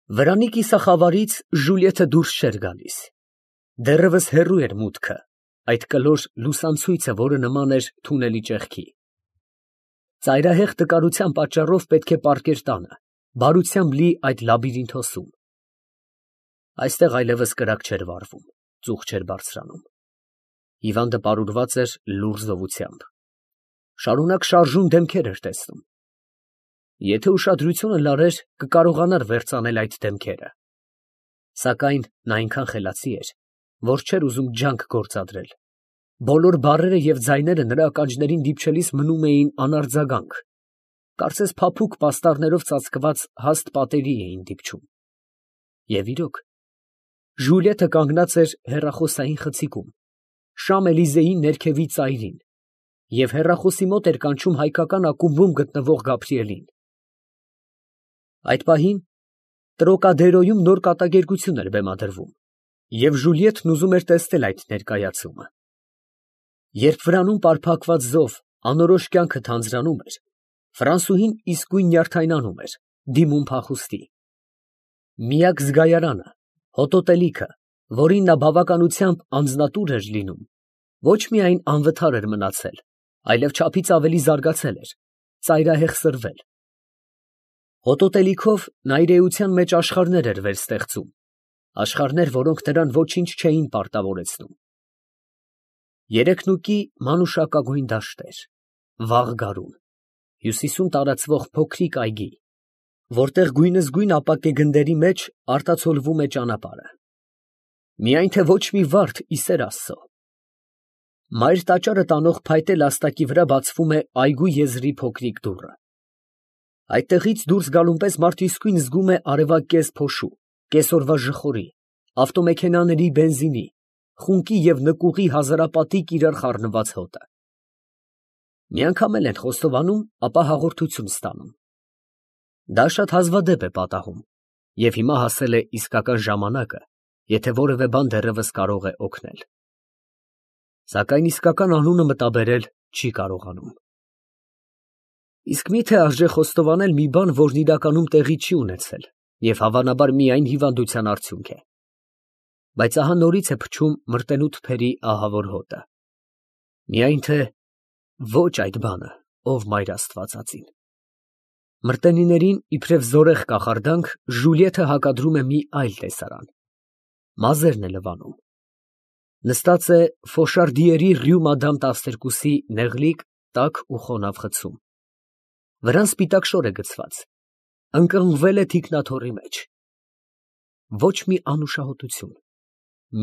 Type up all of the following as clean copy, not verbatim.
Վրանի կիսախավարից Ժուլիետը դուրս չէր գալիս. դեռևս հեռու էր մուտքը, այդ կլոր լուսանցույցը, որը նման էր թունելի ճեղքի։ Ծայրահեղ տկարության պատճառով պետք է պառկեր տանը, բարությամբ լի այդ լաբիրինթոսում։ Այստեղ այլևս կրակ չէր վառվում, ծուխ չէր բարձրանում։ Հիվանդը պարուրված էր լուռ զովությամբ։ Շարունակ շարժուն դեմքեր էր տեսնում։ Եթե ուշադրությունը լարեր, կկարողանար վերծանել այդ դեմքերը։ Սակայն նա այնքան խելացի էր, որ չէր ուզում ջանք գործադրել։ Բոլոր բառերը և ձայները նրա ականջներին դիպչելիս մնում էին անարձագանք, կարծես փափուկ պաստառներով ծածկված հաստ պատերի էին դիպչում։ Եվ իրոք, Ժուլիետը կանգնած էր հեռախոսային խցիկում, Շամ Էլիզեի ներքևի ծայրին, և հեռախոսի մոտ էր կանչում հայկական ակումբում գտնվող Գաբրիելին։ Այդ պահին Տրոկադերոյում նոր կատակերգություն էր բեմադրվում, և Ժուլիետն ուզում էր տեսնել այդ ներկայացումը։ Երբ վրանում պարփակված զով անորոշ կյանքը թանձրանում էր, Ֆրանսուհին իսկույն նյարդայնանում էր, դիմում փախուստի։ Միակ զգայարանը, հոտոտելիքը, որին նա բավականությամբ անձնատուր էր լինում, ոչ միայն անվթար էր մնացել, այլև չափից ավելի զարգացել էր, ծայրահեղ սրվել։ Հոտոտելիքով նա իր էության մեջ աշխարհներ էր վերստեղծում, աշխարհներ, որոնք նրան ոչինչ չէին պարտավորեցնում։ Երեքնուկի մանուշակագույն դաշտեր, վաղ գարուն, հյուսիսում տարածվող փոքրիկ այգի, որտեղ գույնզգույն ապակե գնդերի մեջ արտացոլվում է ճանապարհը։ Միայն թե ոչ մի վարդ ի սեր Աստծո։ Մայր տաճարը տանող փայտե լաստակի վրա բացվում է այգու եզրի փոքրիկ դուռը։ Այդտեղից դուրս գալուն պես մարդ իսկույն զգում է արևակեզ փոշու, կեսօրվա ժխորի, ավտոմեքենաների բենզինի, խունկի և նկուղի հազարապատիկ իրար խառնված հոտը։ Մի անգամ էլ են խոստովանում, ապա հաղորդություն ստանում։ Դա շատ հազվադեպ է պատահում, և հիմա հասել է իսկական ժամանակը, եթե որևէ բան դեռևս կարող է օգնել։ Սակայն իսկական անունը մտաբերել չի կարողանում։ Իսկ մի՞թե արժե խոստովանել մի բան, որն իրականում տեղի չի ունեցել, և հավանաբար միայն հիվանդության արդյունք է։ Բայց ահա նորից է փչում մրտենու թփերի ահավոր հոտը։ Միայն թե ոչ այդ բանը, ով մայր աստվածածին։ Մրտենիներին իբրև զորեղ կախարդանք Ժուլիետը հակադրում է մի այլ տեսարան։ Մազերն է լվանում։ Նստած է Ֆոշարդիերի Ռյու Մադամ 12-ի նեղլիկ, տաք ու խոնավ խցում։ Վրան սպիտակ շոր է գցված, ընկղմվել է թիկնաթոռի մեջ։ Ոչ մի անուշահոտություն,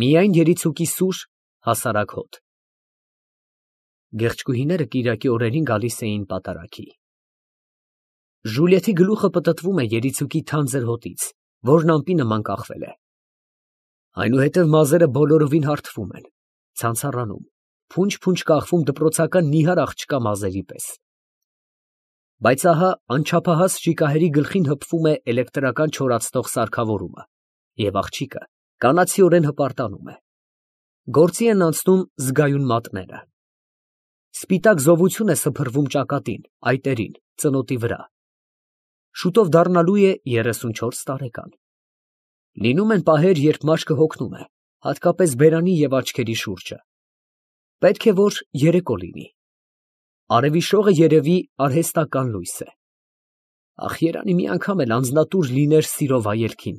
միայն երիցուկի սուր, հասարակ հոտ։ Գեղեցկուհիները կիրակի օրերին գալիս էին պատարագի։ Ժուլիետի գլուխը պտտվում է երիցուկի թանձր հոտից, որն ամպի նման կախվել է։ Այնուհետև մազերը բոլորովին հարթվում են, ցանցառանում, փունջ-փունջ կախվում դպրոցական նիհար աղջկա մազերի պես։ Բայց ահա անչափահաս շիկահերի գլխին հպվում է էլեկտրական չորացնող սարքավորումը, և աղջիկը կանացիորեն հպարտանում է։ Գործի են անցնում զգայուն մատները։ Սպիտակ զովություն է սփռվում ճակատին, այտերին, ծնոտի վրա։ Շուտով դառնալու է 34 տարեկան։ Լինում են պահեր, երբ մաշկը հոգնում է, հատկապես բերանի և աչքերի շուրջը։ Պետք է, որ երեկո լինի։ Արևի շողը երևի արհեստական լույս է։ Ախ, երանի մի անգամ էլ անձնատուր լիներ սիրո վայելքին։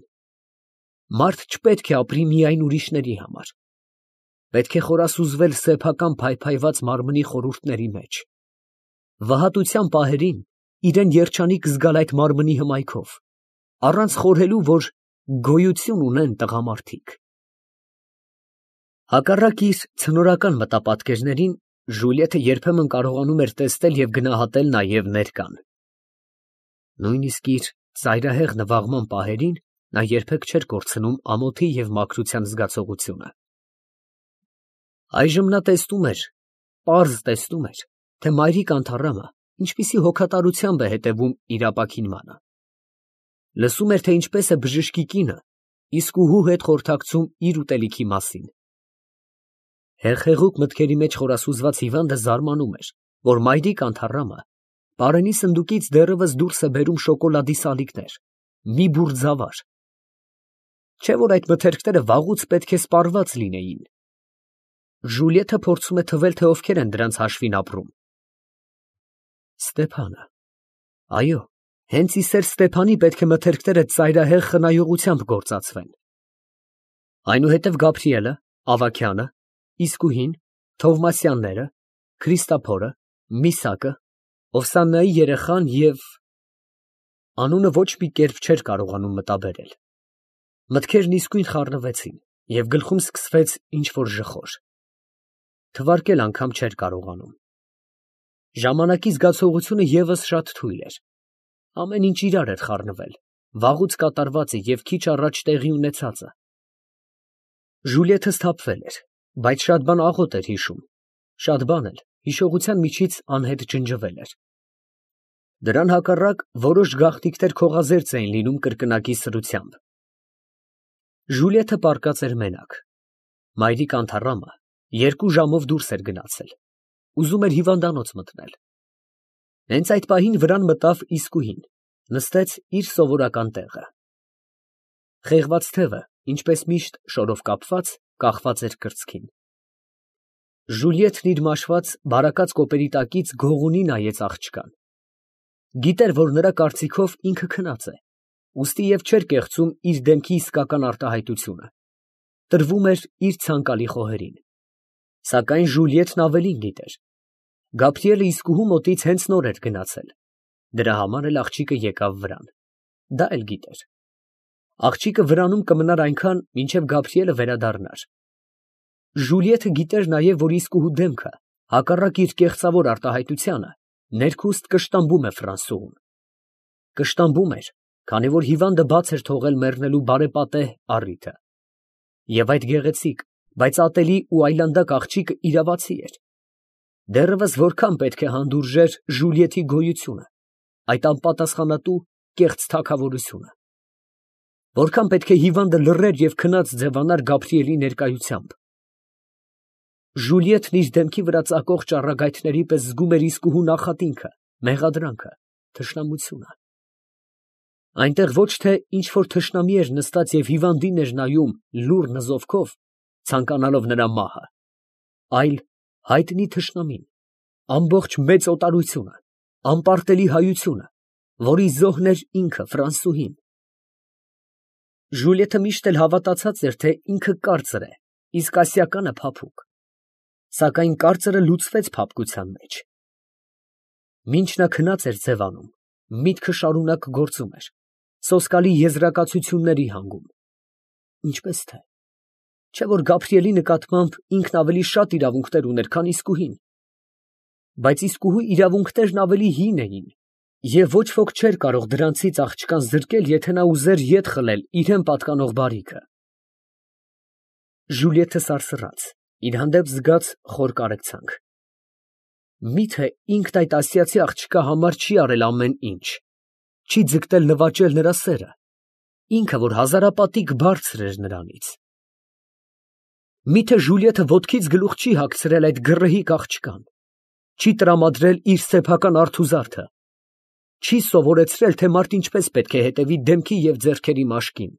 Մարդ չպետք է ապրի միայն ուրիշների համար։ Պետք է խորասուզվել սեփական փայփայված մարմնի խորհուրդների մեջ։ Վհատության պահերին իրեն երջանիկ զգալ այդ մարմնի հմայքով, առանց խորհելու, որ գոյություն ունեն տղամարդիկ։ Հակառակ իր ցնորական մտապատկերներին, Ժուլիետը երբեմն կարողանում էր տեսնել և գնահատել նաև ներկան։ Նույնիսկ իր ծայրահեղ նվաղման պահերին նա երբեք չէր կորցնում ամոթի և մաքրության զգացողությունը։ Այժմ նա տեսնում էր, պարզ տեսնում էր, թե մայրիկ անթառամը ինչպիսի հոգատարությամբ է հետևում իր ապաքինմանը։ Լսում էր, թե ինչպես է բժշկի կինը իսկուհու հետ խորհրդակցում իր ուտելիքի մասին։ Հեղեղուկ մտքերի մեջ խորասուզված հիվանդը զարմանում էր, որ մայրիկ անթառամը պարենի սնդուկից դեռևս դուրս է բերում շոկոլադի սալիկներ, մի բուռ ձավար, Չէ՞ որ այդ մթերքները վաղուց պետք է սպառված լինեին։ Ժուլիեթը փորձում է թվել, թե ովքեր են դրանց հաշվին ապրում։ Ստեփանը։ Այո, հենց իսեր Ստեփանի պետք է մթերքները ծայրահեղ խնայողությամբ գործածվեն։ Այնուհետև Գաբրիելը, Ավագյանը, Իսկուհին, Թովմասյանները, Քրիստափորը, Միսակը,Ովսաննայի երեխան և անունը ոչ մի կերպ չէր կարողանում մտաբերել։ Մտքերն իսկույն խառնվեցին, և գլխում սկսվեց ինչ֊որ ժխոր։ Թվարկել անգամ չէր կարողանում։ Ժամանակի զգացողությունը ևս շատ թույլ էր։ Ամեն ինչ իրար էր խառնվել, վաղուց կատարվածը և քիչ առաջ տեղի ունեցածը։ Ժուլիեթը սթափվել էր, բայց շատ բան աղոտ էր հիշում, շատ բան էլ հիշողության միջից անհետ ջնջվել էր։ Դրան հակառակ որոշ գաղտնիքներ քողազերծ էին լինում կրկնակի սրությամբ։ Ժուլիեթը պառկած էր մենակ։ Մայրիկ Անթառամը 2 ժամով դուրս էր գնացել, ուզում էր հիվանդանոց մտնել։ Հենց այդ պահին վրան մտավ Իսկուհին, նստեց իր սովորական տեղը։ Խեղված թևը, ինչպես միշտ շորով կապված, կախված էր կրծքին։ Ժուլիեթն իր մաշված, բարակած կոպերի տակից գողունի նայեց աղջկան։ Գիտեր, որ նրա կարծիքով ինքը քնած է, ուստի և չէր կեղծում իր դեմքի իսկական արտահայտությունը, տրվում էր իր ցանկալի խոհերին։ Սակայն Ժուլիեթն ավելին գիտեր. Գաբրիելը Իսկուհու մոտից հենց նոր էր գնացել, դրա համար էլ աղջիկը եկավ վրան։ Դա էլ գիտեր։ Աղջիկը վրանում կմնար այնքան, մինչև Գաբրիելը վերադառնար։ Ժուլիեթը գիտեր նաև, որ Իսկուհու դեմքը, հակառակ իր կեղծավոր արտահայտությանը, ներքուստ կշտամբում է Ֆրանսուհուն։ Կշտամբում էր, քանի որ հիվանդը բաց էր թողել մեռնելու բարեպատեհ առիթը։ Եվ այդ գեղեցիկ, բայց ատելի ու այլանդակ աղջիկը իրավացի էր։ Դեռևս որքան պետք է հանդուրժեր Ժուլիեթի գոյությունը, այդ անպատասխանատու կեղծ թագավորությունը։ Որքան պետք է հիվանդը լռեր և քնած ձևանար Գաբրիելի ներկայությամբ։ Ժուլիեթն իր դեմքի վրա ծակող ճառագայթների պես զգում էր Իսկուհու նախատինքը, մեղադրանքը, թշնամությունը։ Այնտեղ ոչ թե ինչ֊որ թշնամի էր նստած և հիվանդին էր նայում լուռ նզովքով, ցանկանալով նրա մահը, այլ հայտնի թշնամին, ամբողջ մեծ օտարությունը, անպարտելի հայությունը, որի զոհն էր ինքը Ֆրանսուհին։ Ժուլիեթը միշտ էլ հավատացած էր, թե ինքը կարծր է, իսկ ասիականը փափուկ։ Սակայն կարծրը լուծվեց փափկության մեջ։ Մինչ նա քնած էր ձևանում, միտքը շարունակ գործում էր, սոսկալի եզրակացությունների հանգում։ Ինչպես թե։ Չէ՞ որ Գաբրիելի նկատմամբ ինքն ավելի շատ իրավունքներ ուներ, քան Իսկուհին։ Բայց Իսկուհու իրավունքներն ավելի հին էին, և ոչ ոք չէր կարող դրանցից աղջկան զրկել, եթե նա ուզեր ետ խլել իրան պատկանող բարիքը։ Ժուլիեթը սարսռաց, իր հանդեպ զգաց խոր կարեկցանք։ Մի՞թե ինքն այդ ասիացի աղջկա համար չի արել ամեն ինչ, չի ձգտել նվաճել նրա սերը, ինքը, որ հազարապատիկ բարձր էր նրանից։ Մի՞թե Ժուլիեթը ոտքից գլուխ չի հագցրել այդ գռեհիկ աղջկան, չի տրամադրել իր սեփական արթուզարդը, չի սովորեցրել, թե մարդ ինչպես պետք է հետևի դեմքի և ձեռքերի մաշկին։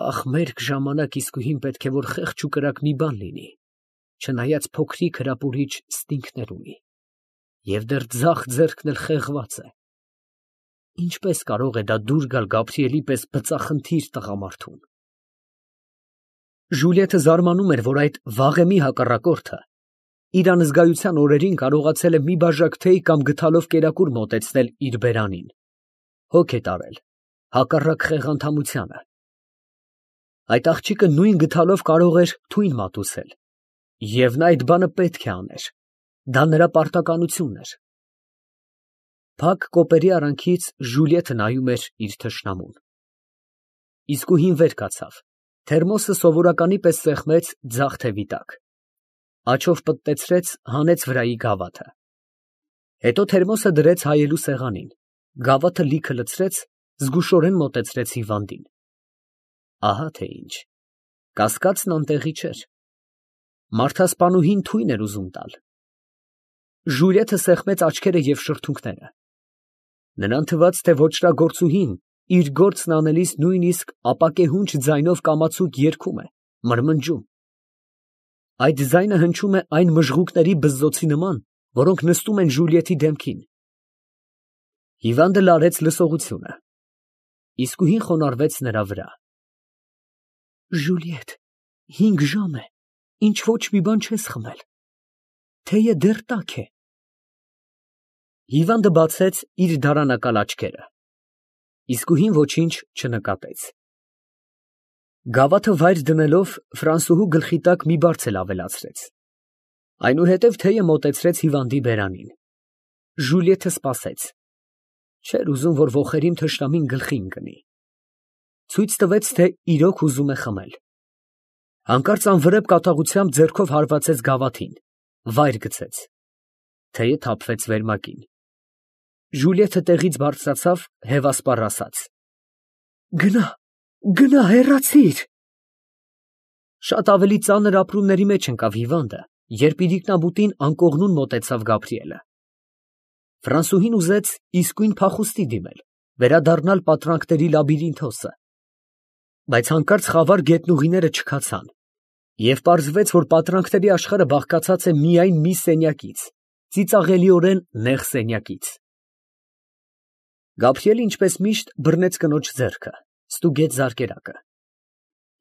Ախ, մերկ ժամանակ Իսկուհին պետք է որ խեղճ ու կրակ մի բան լինի, չնայած փոքրիկ հրապուրիչ ստինքներ ունի, և դեռ ձախ ձեռքն էլ խեղված է։ Ինչպես կարող է դա դուր գալ Գաբրիելի պես բծախնդիր տղամարդուն։ Ժուլիեթը զարմանում էր, որ այդ վաղեմի հակառակորդը իր անզգայության օրերին կարողացել է մի բաժակ թեյ կամ գդալով կերակուր մոտեցնել իր բերանին, հոգ է տարել, հակառակ խեղանդամությանը։ Այդ աղջիկը նույն գդալով կարող էր թույն մատուցել, և նա այդ բանը պետք է աներ, դա նրա պարտականությունն էր։ Փակ կոպերի արանքից Ժուլիեթը նայում էր իր թշնամուն։ Իսկուհին վեր կացավ, թերմոսը սովորականի պես սեղմեց ձախ թևի տակ, աջով պտտեցրեց, հանեց վրայի գավաթը։ Հետո թերմոսը դրեց հայելու սեղանին, գավաթը լիքը լցրեց, զգուշորեն մոտեցրեց հիվանդին։ Ահա թե ինչ, կասկածն անտեղի չէր։ Մարդասպանուհին թույն էր ուզում տալ։ Ժուլիեթը սեղմեց աչքերը և շրթունքները։ Նրան թվաց, թե ոճրագործուհին իր գործն անելիս նույնիսկ ապակեհունչ ձայնով կամացուկ երգում է, մրմնջում։ Այդ ձայնը հնչում է այն մժղուկների բզզոցի նման, որոնք նստում են Ժուլիետի դեմքին։ Հիվանդը լարեց լսողությունը։ Իսկույն խոնարհվեց նրա վրա։ Ժուլիետ, 5 ժամ է, ինչ ոչ մի բան չես խմել, թեյը դեռ տաք է։ Հիվանդը բացեց իր դարանակալ աչքերը։ Իսկույն ոչինչ չնկատեց։ Գավաթը վայր դնելով Ֆրանսուհու գլխի տակ մի բարձ ավելացրեց։ Այնուհետև թեյը մոտեցրեց հիվանդի բերանին։ Ժուլիետը սպասեց։ Չէր ուզում, որ ոխերիմ թշնամին գլխի ընկնի։ Ցույց տվեց, թե իրոք ուզում է խմել։ Հանկարծ անվրեպ կատաղությամբ ձեռքով հարվածեց գավաթին, վայր գցեց։ Թեյը թափվեց վերմակին։ Ժուլիետը տեղից բարձրացավ, հևասպառ ասաց. Գնա, հեռացիր։ Շատ ավելի ծանր ապրումների մեջ ընկավ հիվանդը, երբ իրիկնաբուտին անկողնուն մոտեցավ Գաբրիելը։ Ֆրանսուհին ուզեց իսկույն փախուստի դիմել, վերադառնալ պատրանքների լաբիրինթոսը, բայց հանկարծ խավար գետնուղիները չքացան, և պարզվեց, որ պատրանքների աշխարհը բաղկացած է միայն մի սենյակից, ծիծաղելիորեն նեղ սենյակից։ Գաբրիելը, ինչպես միշտ, բռնեց կնոջ ձեռքը, ստուգեց զարկերակը։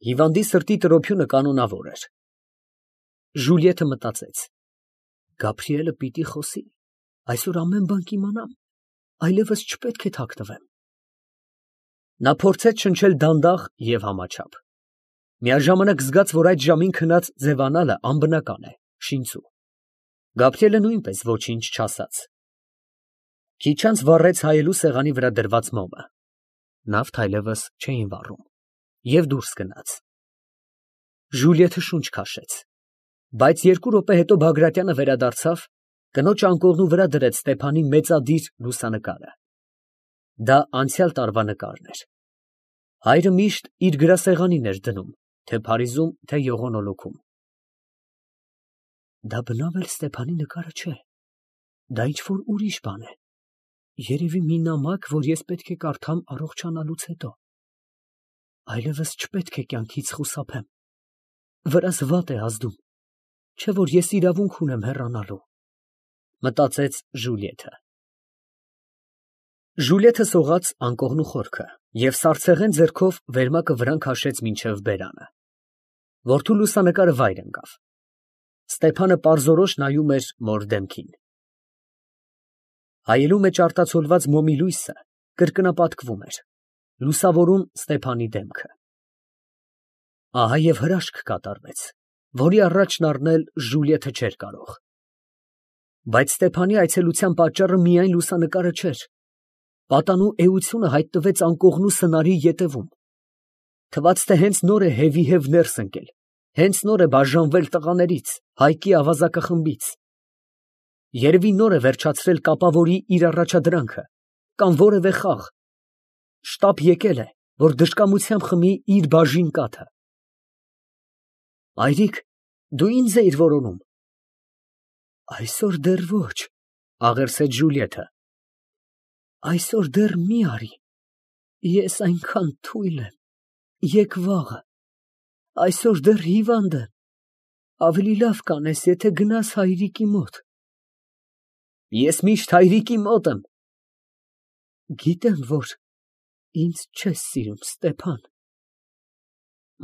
Հիվանդի սրտի տրոփյունը կանոնավոր էր։ Ժուլիետը մտածեց. Գաբրիելը պիտի խոսի, այսօր ամեն բան կիմանամ, այլևս չպետք է թաքնվեմ։ Նա փորձեց շնչել դանդաղ և համաչափ։ Միաժամանակ զգաց, որ այդ ժամին քնած ձևանալը անբնական է, շինծու։ Գաբրիելը նույնպես ոչինչ չասաց։ Քիչ անց վառեց հայելու սեղանի վրա դրված մոմը։ Նավթ այլևս չէին վառում, և դուրս գնաց։ Ժուլիետը շունչ քաշեց, բայց 2 րոպե հետո Բագրատյանը վերադարձավ, կնոջ անկողնու վրա դրեց Ստեփանի մեծադիր լուսանկարը։ Դա անցյալ տարվա նկարն էր։ Հայրը միշտ իր գրասեղանին էր դնում, թե Փարիզում, թե Եղոնոլոքում։ Դա բնավ էլ Ստեփանի նկարը չէ, դա ինչ-որ ուրիշ բան է, երևի մի նամակ, որ ես պետք է կարդամ առողջանալուց հետո։ Այլևս չպետք է կյանքից խուսափեմ, վրաս վատ է ազդում, չէ որ ես իրավունք ունեմ հեռանալու, մտածեց Ժուլիետը։ Ժուլիետը սողաց անկողնու խորքը և սառցեղեն ձեռքով վերմակը վրան քաշեց մինչև բերանը։ Որդու լուսանկարը վայր ընկավ։ Ստեփանը պարզորոշ նայում էր մոր դեմքին։ Հայելու մեջ արտացոլված մոմի լույսը կրկնապատկվում էր, լուսավորում Ստեփանի դեմքը։ Ահա և հրաշք կատարվեց, որի առաջն առնել Ժուլիետը չէր կարող։ Բայց Ստեփանի այցելության պատճառը միայն լուսանկարը չէր։ Պատանու էությունը հայտնվեց անկողնու սնարի ետևում։ Թվաց, թե հենց նոր է հևի-հև ներս ընկել, հենց նոր է բաժանվել տղաներից, Հայկի ավազակախմբից։ Երևի նոր է վերջացրել կապավորի իր առաջադրանքը, կամ որևէ խաղ։ Շտապ եկել է, որ դժկամությամբ խմի իր բաժին կաթը։ Մայրիկ, դու ինձ էիր որոնում։ Այսօր դեռ ոչ, աղերսեց Ժուլիետը։ Այսօր դեռ մի արի, ես այնքան թույլ եմ, եկ վաղը, այսօր դեռ հիվանդ եմ, ավելի լավ կանես, եթե գնաս հայրիկի մոտ։ Ես միշտ հայրիկի մոտ եմ։ Գիտեմ, որ ինձ չես սիրում, Ստեփան։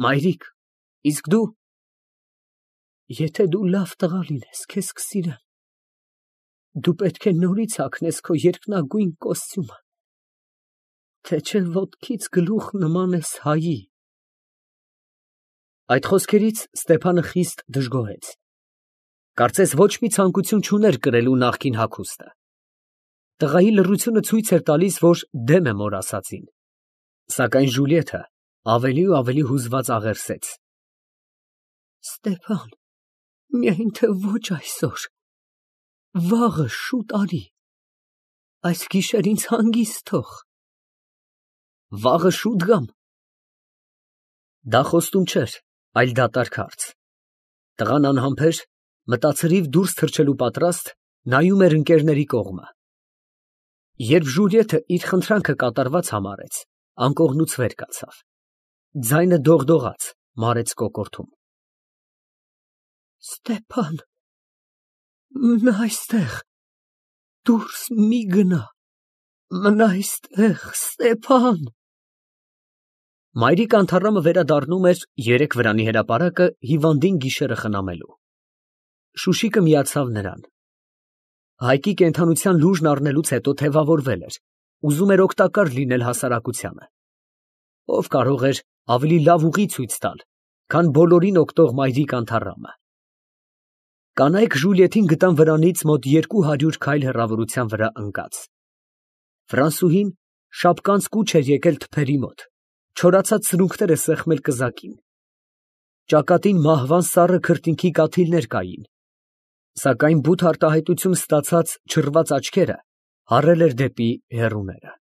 Մայրիկ, իսկ դու։ Եթե դու լավ տղա լինես, քեզ կսիրեմ։ Դու պետք է նորից հագնես քո երկնագույն կոստյումը, թե չէ ոտքից գլուխ նմանես հայի։ Այդ խոսքերից Ստեփանը խիստ դժգոհեց։ Կարծես ոչ մի ցանկություն չուներ կրելու նախկին հագուստը։ Տղայի լռությունը ցույց էր տալիս, որ դեմ է մոր ասածին։ Սակայն Ժուլիետը ավելի ու ավելի հուզված աղերսեց. Ստեփան, միայն թե ոչ այսօր, վաղը շուտ արի, այս գիշեր ինձ հանգիստ թող։ Վաղը շուտ գամ։ Դա խոստում չէր, այլ դատարկ հարց։ Տղան անհամբեր, մտածրիվ դուրս թռչելու պատրաստ, նայում էր ընկերների կողմը։ Երբ Ժուլիետը իր խնդրանքը կատարված համարեց, անկողնուց վեր կացավ։ Ձայնը դողդողաց, մարեց կոկորդում։ Ստեփան, մնա այստեղ, դուրս մի գնա, մնա այստեղ, Ստեփան։ Մայրիկ անթառամը վերադառնում էր երեք վրանի հրապարակը հիվանդին գիշերը խնամելու։ Շուշիկը միացավ նրան։ Հայկի կենդանության լուժն առնելուց հետո թևավորվել էր, ուզում էր օգտակար լինել հասարակությանը։ Ով կարող էր ավելի լավ ուղի ցույց տալ, քան բոլորին օգտող մայրիկ անթառամը։ Կանայք Ժուլիետին գտան վրանից մոտ 200 քայլ հեռավորության վրա ընկած։ Ֆրանսուհին շապկանց կուչ էր եկել թփերի մոտ, չորացած սրունքները սեղմել կզակին։ Ճակատին մահվան սառը քրտինքի կաթիլներ կային, սակայն բութ արտահայտություն ստացած չռված աչքերը հառել էր դեպի հեռուները։